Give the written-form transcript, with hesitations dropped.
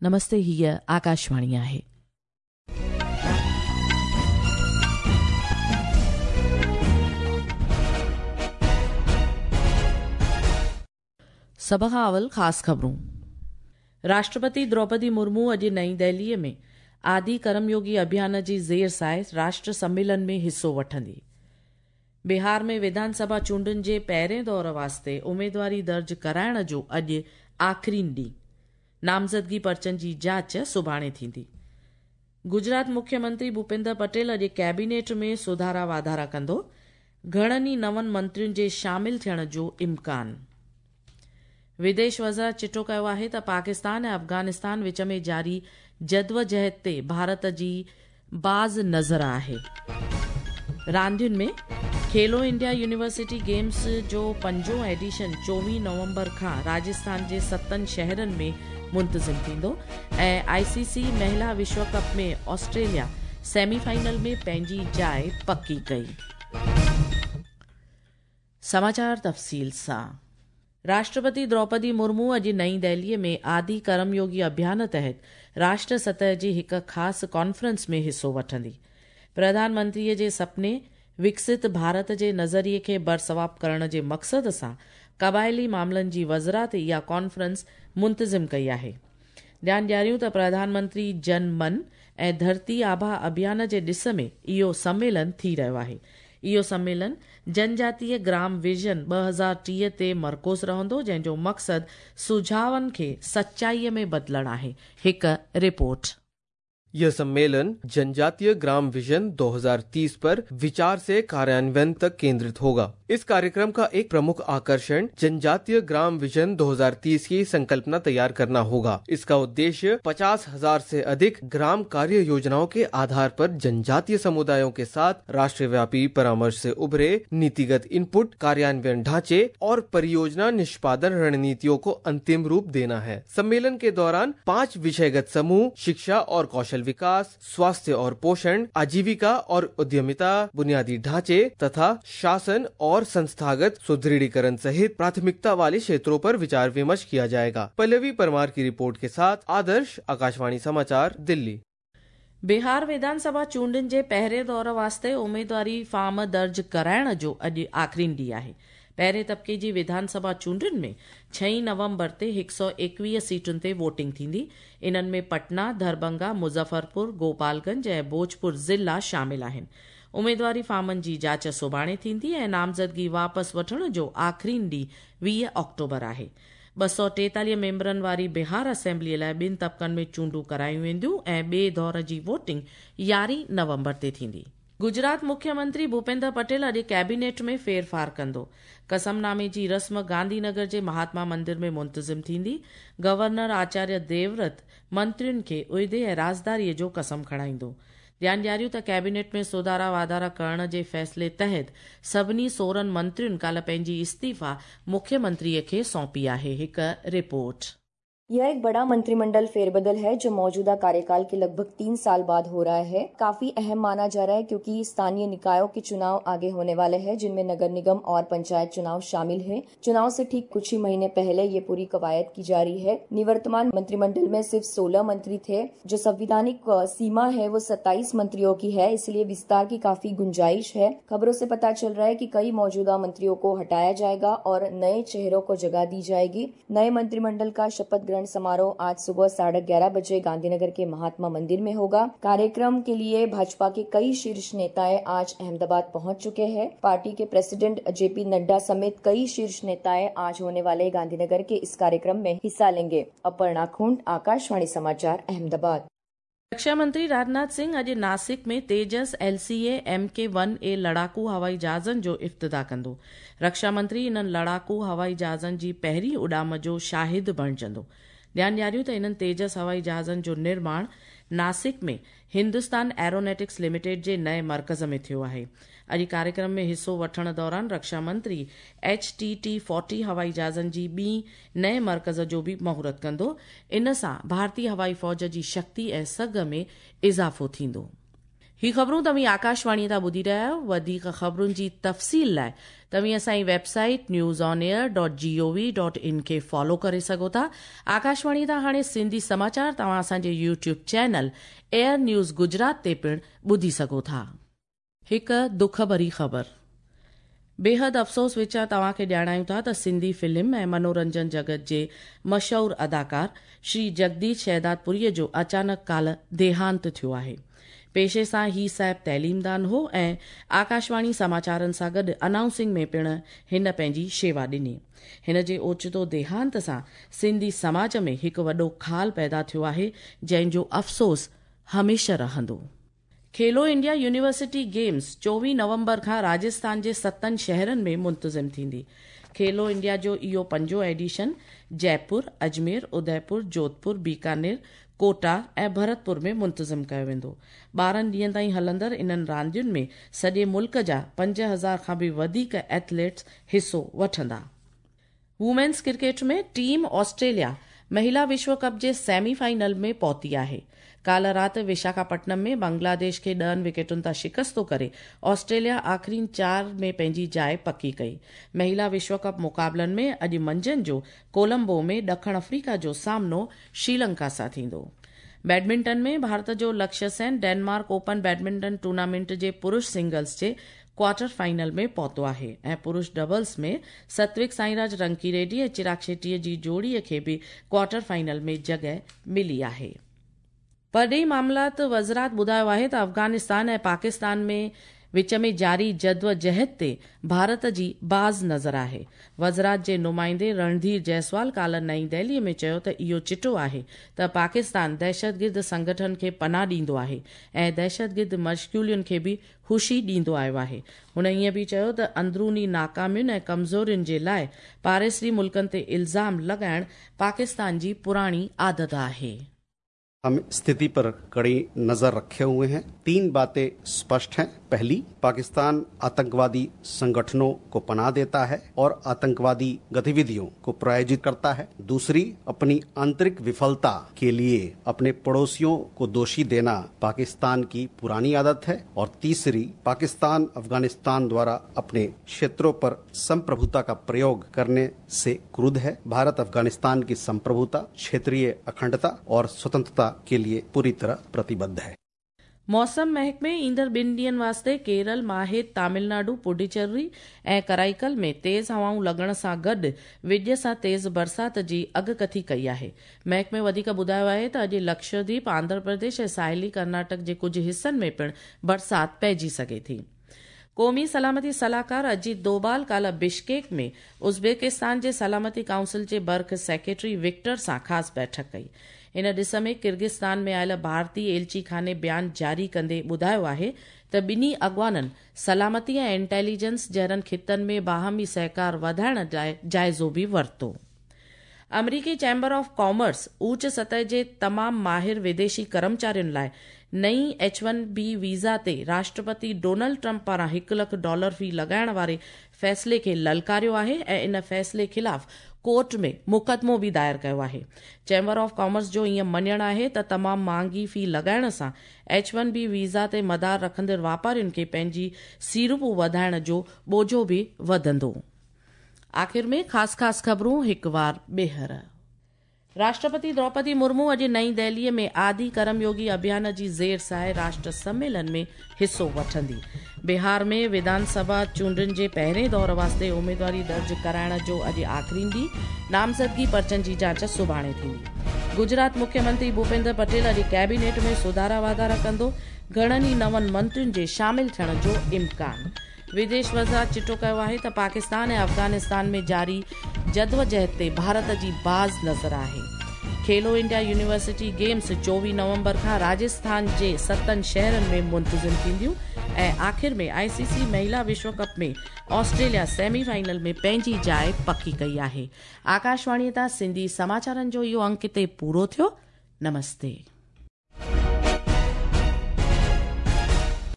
نمستي هيء آڪاشواڻي آهي. سڀ کان اول خاص خبرون. راشٽرپتي دروپدي مرمو اڄ نئين دهليء ۾ آدي ڪرميوگي اڀيان جي زير سايه راشٽر سميلن ۾ حصو وٺندي. بهار ۾ وڌان سڀا چونڊن جي پهرين دور واسطي اميدواري درج ڪرائڻ جو اڄ آخرين ڏينهن. نامزدگي پرچن جي جاچ سڀاڻي ٿيندي. گجرات مکيه منتري ڀوپيندر پٽيل اڄ ڪيبينيٽ ۾ سڌارا واڌارا ڪندو. گهڻن ئي نون منترين جي شامل ٿيڻ جو امڪان. وديش وزارت چٽو ڪيو آهي ته پاڪستان ۽ افغانستان وچ ۾ جاري جدوجهد تي ڀارت جي باز نظر آهي. راندين ۾ کيلو انڊيا يونيورسٽي گيمز جو پنجون ايڊيشن 24 نومبر کان راجسٿان جي ستن شهرن ۾ منتظم ٿيندو ۽ آء سي سي مهلا وشو ڪپ ۾ آسٽريليا سيمي فائنل ۾ پنهنجي جاء پڪي ڪئي. سماچار تفصيل سان راشٽرپتي دروپدي مرمو اڄ نئين دهليء ۾ آدي ڪرميوگي اڀيان تحت راشٽر سطح جي هڪ خاص ڪانفرنس ۾ حصو وٺندي. پرڌان منتريء جي سپني وڪست ڀارت جي نظريي کي برثواب ڪرڻ جي مقصد سان قبائلي معاملن جي وزارت اها ڪانفرنس منتظم ڪئي آهي. ڌيان ڏياريون ته پرڌان منتري جن من ۽ ڌرتي آڀا اڀيان جي ڏس ۾ اهو سميلن ٿي رهيو آهي. اهو سميلن جنجاتيه گرام ويزن 2030 تي مرڪوز رهندو جنهن جو مقصد سجهاون کي سچائيء ۾ بدلڻ آهي. هڪ رپورٽ. यह सम्मेलन जनजातीय ग्राम विजन 2030 पर विचार से कार्यान्वयन तक केंद्रित होगा। इस कार्यक्रम का एक प्रमुख आकर्षण जनजातीय ग्राम विजन 2030 की संकल्पना तैयार करना होगा। इसका उद्देश्य 50,000 से अधिक ग्राम कार्य योजनाओं के आधार पर जनजातीय समुदायों के साथ राष्ट्रव्यापी परामर्श से उभरे नीतिगत इनपुट, कार्यान्वयन ढांचे और परियोजना निष्पादन रणनीतियों को अंतिम रूप देना है। सम्मेलन के दौरान 5 विषयगत समूह शिक्षा और कौशल विकास, स्वास्थ्य और पोषण, आजीविका और उद्यमिता, बुनियादी ढांचे तथा शासन और संस्थागत सुदृढ़ीकरण सहित प्राथमिकता वाले क्षेत्रों पर विचार विमर्श किया जाएगा। पल्लवी परमार की रिपोर्ट के साथ आदर्श, आकाशवाणी समाचार, दिल्ली। बिहार विधानसभा चूंडनि जे पहिरें दौर वास्ते उमेदवारी फॉर्म दर्ज कराइण जो अॼु आख़िरीन ॾींहुं आहे। पहिरें तबके जी विधानसभा चूंडुनि में 6 नवंबर ते 121 सीटुनि ते वोटिंग थींदी। इन्हनि में पटना, दरभंगा, मुज़फ़रपुर, गोपालगंज ऐं भोजपुर ज़िला शामिल आहिनि। उमेदवारी फॉर्मनि जी जांच सुभाणे थींदी ऐं नामज़दगी वापसि वठण जो आख़िरीन ॾींहुं 20 ऑक्टोबर आहे। 243 मेंबरनि वारी बिहार असेंबलीअ लाइ ॿिनि तबकनि में चूंडूं करायूं वेंदियूं ऐं ॿिए दौर जी वोटिंग 11 नवंबर ते थींदी। गुजरात मुख्यमंत्री भूपेंद्र पटेल अॼु कैबिनेट में फेरफार कंदो। कसमनामे जी रस्म गांधीनगर जे महात्मा मंदिर में मुंतज़िम थींदी। गवर्नर आचार्य देवव्रत मंत्रियुनि खे उहिदे ऐं राज़दारीअ जो कसम खणाईंदो। ध्यानु ॾियारियूं त कैबिनेट में सुधारा वाधारा करण जे फ़ैसिले तहत सभिनी 16 मंत्रियुनि काल्ह पंहिंजी इस्तीफ़ा मुख्यमंत्रीअ खे सौंपी आहे। हिकु रिपोर्ट। यह एक बड़ा मंत्रिमंडल फेरबदल है जो मौजूदा कार्यकाल के लगभग 3 साल बाद हो रहा है। काफी अहम माना जा रहा है क्योंकि स्थानीय निकायों के चुनाव आगे होने वाले हैं, जिनमें नगर निगम और पंचायत चुनाव शामिल हैं। चुनाव से ठीक कुछ ही महीने पहले ये पूरी कवायद की जा रही है। निवर्तमान मंत्रिमंडल में सिर्फ 16 मंत्री थे। जो संवैधानिक सीमा है वो 27 मंत्रियों की है, इसलिए विस्तार की काफी गुंजाइश है। खबरों से पता चल रहा है कि कई मौजूदा मंत्रियों को हटाया जाएगा और नए चेहरों को जगह दी जाएगी। नए मंत्रिमंडल का शपथ ग्रहण समारोह आज सुबह 11:30 बजे गांधीनगर के महात्मा मंदिर में होगा। कार्यक्रम के लिए भाजपा के कई शीर्ष नेताएं आज अहमदाबाद पहुंच चुके हैं। पार्टी के प्रेसिडेंट जेपी नड्डा समेत कई शीर्ष नेताएं आज होने वाले गांधीनगर के इस कार्यक्रम में हिस्सा लेंगे। अपर्णा खुंट, आकाशवाणी समाचार, अहमदाबाद। रक्षा मंत्री राजनाथ सिंह अॼु नासिक में तेजस LCA MK-1A लड़ाकू हवाई जहाज़नि जो इफ्तिताह कंदो। रक्षा मंत्री इन्हनि लड़ाकू हवाई जहाज़नि जी पहिरीं उॾाम जो शाहिद बणिजंदो। ध्यानु ॾियारियूं त इन्हनि तेजस हवाई जहाज़नि जो निर्माण नासिक में हिंदुस्तान एरोनॉटिक्स लिमिटेड जे नए मर्कज़ में थियो आहे। अॼु कार्यक्रम में हिसो वठण दौरान रक्षा मंत्री HTT-40 हवाई जहाज़नि जी ॿी नए मर्कज़ जो बि मुहूर्त कंदो। इन सां भारतीय हवाई फ़ौज जी शक्ति ऐं सघ में इज़ाफ़ो थींदो। هي خبرون توهين آڪاشواڻي تان ٻڌي رهيا آهيو. وڌيڪ خبرن جي تفصيل لاء توهين اسان جي website news on air dot G O V dot in کي فالو ڪري سگهو ٿا. آڪاشواڻي تان هاڻي سنڌي سماچار توهان اسان جي YouTube channel air news Gujarat تي پڻ ٻڌي سگهو ٿا. هڪ دک ڀري خبر. بيحد افسوس وچان توهان کي ڄاڻايون ٿا ته سنڌي فلم ۽ منورنجن جڳت جي مشهور اداڪار شري جگديش شهدادپوريء جو اچانڪ ڪالهه ديهانت ٿيو آهي. پيشي سان هي صاحب تعليمدان هو ۽ آڪاشواڻي سماچارن سان گڏ انائونسنگ ۾ پڻ هن پنهنجي شيوا ڏني. هن جي اوچتو ديهانت سان سنڌي سماج ۾ هڪ وڏو خال پيدا ٿيو آهي، جنهن جو افسوس هميشه رهندو. کيلو انڊيا يونيورسٽي گيمز 24 نومبر کان راجسٿان جي ستن شهرن ۾ منتظم ٿيندي. کيلو انڊيا جو اهو پنجون ايڊيشن جئپور، اجمير، اديپور، جوڌپور، بيڪانير، ڪوٽا ۽ ڀرتپور ۾ منتظم ڪيو ويندو. 12 ڏينهن تائين هلندڙ انهن راندين ۾ سڄي ملڪ جا 5000 کان به وڌيڪ ايٿليٽس حصو وٺندا. وومينز ڪرڪيٽ ۾ ٽيم آسٽريليا مهلا وشو ڪپ جي سيمي فائنل ۾ پهتي آهي. ڪالهه رات وشاکاپٽنم ۾ بنگلاديش کي 10 وڪيٽن تان شڪست ڪري آسٽريليا آخرين چار ۾ پنهنجي جاء پڪي ڪئي. مهلا وشو ڪپ مقابلن ۾ اڄ منجهند جو ڪولمبو ۾ ڏکڻ آفريڪا جو سامنو شريلنڪا سان ٿيندو. بيڊمنٽن ۾ ڀارت جو Lakshya Sen Denmark open badminton tournament جي پرش سنگلز جي ڪوارٽر فائنل ۾ پهتو آهي ۽ پرش ڊبلز ۾ ستوڪ سائيراج رنڪي ريڊي ۽ چراگ شيٽي جي جوڙي کي به ڪوارٽر فائنل ۾ جڳهه ملي آهي. پرڏيهي معاملات وزارت ٻڌايو آهي ته افغانستان ۽ پاڪستان ۾ وچ ۾ جاري جدوجهد تي ڀارت جي باز نظر آهي. وزارت جي نمائندي رڻڌير جئسوال ڪالهه نئين دهلي ۾ چيو ته اهو چٽو آهي ته پاڪستان دهشتگرد سنگٺن کي پناهه ڏيندو آهي ۽ دهشتگرد مشغولين کي به خوشي ڏيندو آيو آهي. هن ائين به چيو ته اندروني ناڪامين ۽ ڪمزورين جي لاء پاڙيسري ملڪن تي الزام لڳائڻ پاڪستان جي پراڻي عادت آهي. हम स्थिति पर कड़ी नजर रखे हुए हैं। 3 बातें स्पष्ट हैं। पहली, पाकिस्तान आतंकवादी संगठनों को पनाह देता है और आतंकवादी गतिविधियों को प्रायोजित करता है। दूसरी, अपनी आंतरिक विफलता के लिए अपने पड़ोसियों को दोषी देना पाकिस्तान की पुरानी आदत है। और तीसरी, पाकिस्तान अफगानिस्तान द्वारा अपने क्षेत्रों पर संप्रभुता का प्रयोग करने से क्रुद्ध है। भारत अफगानिस्तान की संप्रभुता, क्षेत्रीय अखंडता और स्वतंत्रता के लिए पूरी तरह प्रतिबद्ध है। मौसम महकमे ईंदड़ 2 ॾींहनि वास्ते केरल, माहे, तमिलनाडु, पुडुचेरी ऐं कराईकल में तेज़ हवाऊं लॻण सां गॾु विڄ सां तेज़ बरसात जी अॻकथी कई आहे। महकमे वधीक ॿुधायो आहे त अॼु लक्षद्वीप, आंध्र प्रदेश ऐं साहिली कर्नाटक जे कुझु हिसनि में पिणु बरसात पइजी सघे थी। क़ौमी सलामती सलाहकार अजीत दोबाल काल्ह बिश्केक में उज़्बेकिस्तान जे सलामती काउंसिल जे बर्ख सेक्रेटरी विक्टर सां ख़ासि बैठक कई। इन ॾिस में किर्गिस्तान में आयल भारतीय एलची खाने बयान जारी कंदे ॿुधायो आहे त ॿिन्ही अॻवाननि सलामती ऐं इंटेलिजेंस जहिड़नि ख़ितनि में बाहमी सहकार वधाइण लाइ जाइज़ो बि वरितो। अमरीकी चैम्बर ऑफ कॉमर्स ऊच सतह जे तमाम माहिर विदेशी कर्मचारियुनि लाइ नई H-1B visa ते राष्ट्रपति डोनाल्ड ट्रंप पारां $1 लाख फी लॻाइण वारे फ़ैसिले खे ललकारियो आहे ऐं इन फ़ैसिले ख़िलाफ़ कोर्ट में मुक़दमो बि दायर कयो आहे। चैम्बर ऑफ कॉमर्स जो ईअं मञणु आहे त तमामु महांगी फी लॻाइण सां H-1B visa ते मदार रखंदड़ वापारियुनि खे पंहिंजी सीड़प वधाइण जो बोझो बि वधंदो। आख़िर में ख़ासि ख़ासि ख़बरूं हिकु वार ॿीहर। राष्ट्रपति द्रौपदी मुर्मू अॼु नई दिल्लीअ में आदि कर्मयोगी अभियान जी ज़ेर साए राष्ट्र सम्मेलन में हिसो वठंदी। बिहार में विधानसभा चूंडनि जे पहिरें दौर वास्ते उमेदवारी दर्ज कराइण जो अॼु आख़िरी ॾींहुं, नामज़दगी पर्चनि जी जांच सुभाणे थींदी। गुजरात मुख्यमंत्री भूपेंद्र पटेल अॼु कैबिनेट में सुधारा वाधारा कंदो, घणनि ई नवनि मंत्रियुनि जे शामिल थियण जो इम्कान। विदेश वज़ारत चिटो कयो आहे त पाकिस्तान ऐं अफ़गानिस्तान में जारी जदोजहद ते भारत जी बाज़ नज़र आहे। खेलो इंडिया यूनिवर्सिटी गेम्स 24 नवंबर खां राजस्थान जे 7 शहरनि में मुंतज़िम थींदियूं। ऐं आख़िर में ICC महिला विश्व कप में ऑस्ट्रेलिया सेमीफाइनल में पंहिंजी जाइ पकी कई आहे। आकाशवाणीअ तां सिंधी समाचारनि जो इहो अंक हिते पूरो थियो। नमस्ते।